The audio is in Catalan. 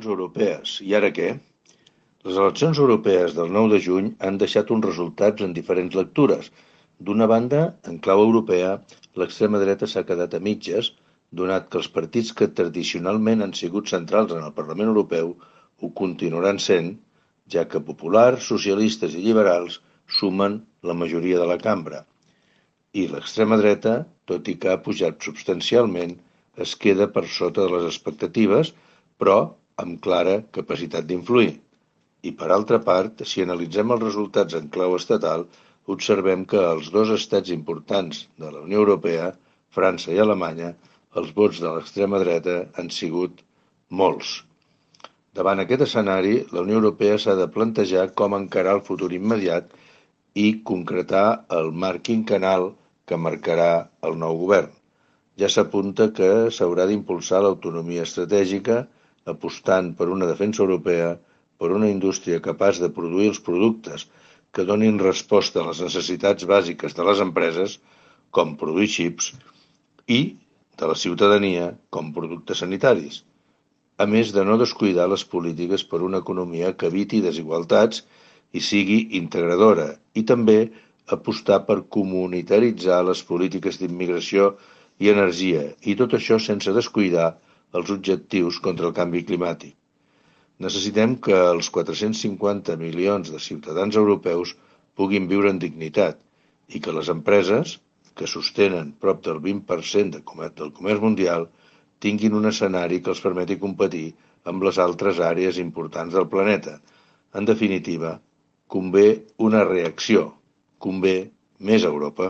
Europees. I ara què? Les eleccions europees del 9 de juny han deixat uns resultats en diferents lectures. D'una banda, en clau europea, l'extrema dreta s'ha quedat a mitges, donat que els partits que tradicionalment han sigut centrals en el Parlament Europeu ho continuaran sent, ja que populars, socialistes i liberals sumen la majoria de la cambra. I l'extrema dreta, tot i que ha pujat substancialment, es queda per sota de les expectatives, però amb clara capacitat d'influir. I per altra part, si analitzem els resultats en clau estatal, observem que als dos estats importants de la Unió Europea, França i Alemanya, els vots de l'extrema dreta han sigut molts. Davant aquest escenari, la Unió Europea s'ha de plantejar com encarar el futur immediat i concretar el marc quinquennal que marcarà el nou govern. Ja s'apunta que s'haurà d'impulsar l'autonomia estratègica, apostant per una defensa europea, per una indústria capaç de produir els productes que donin resposta a les necessitats bàsiques de les empreses, com produir xips, i de la ciutadania, com productes sanitaris, a més de no descuidar les polítiques per una economia que eviti desigualtats i sigui integradora, i també apostar per comunitaritzar les polítiques d'immigració i energia, i tot això sense descuidar els objectius contra el canvi climàtic. Necessitem que els 450 milions de ciutadans europeus puguin viure en dignitat i que les empreses, que sostenen prop del 20% del comerç mundial, tinguin un escenari que els permeti competir amb les altres àrees importants del planeta. En definitiva, convé una reacció, convé més Europa.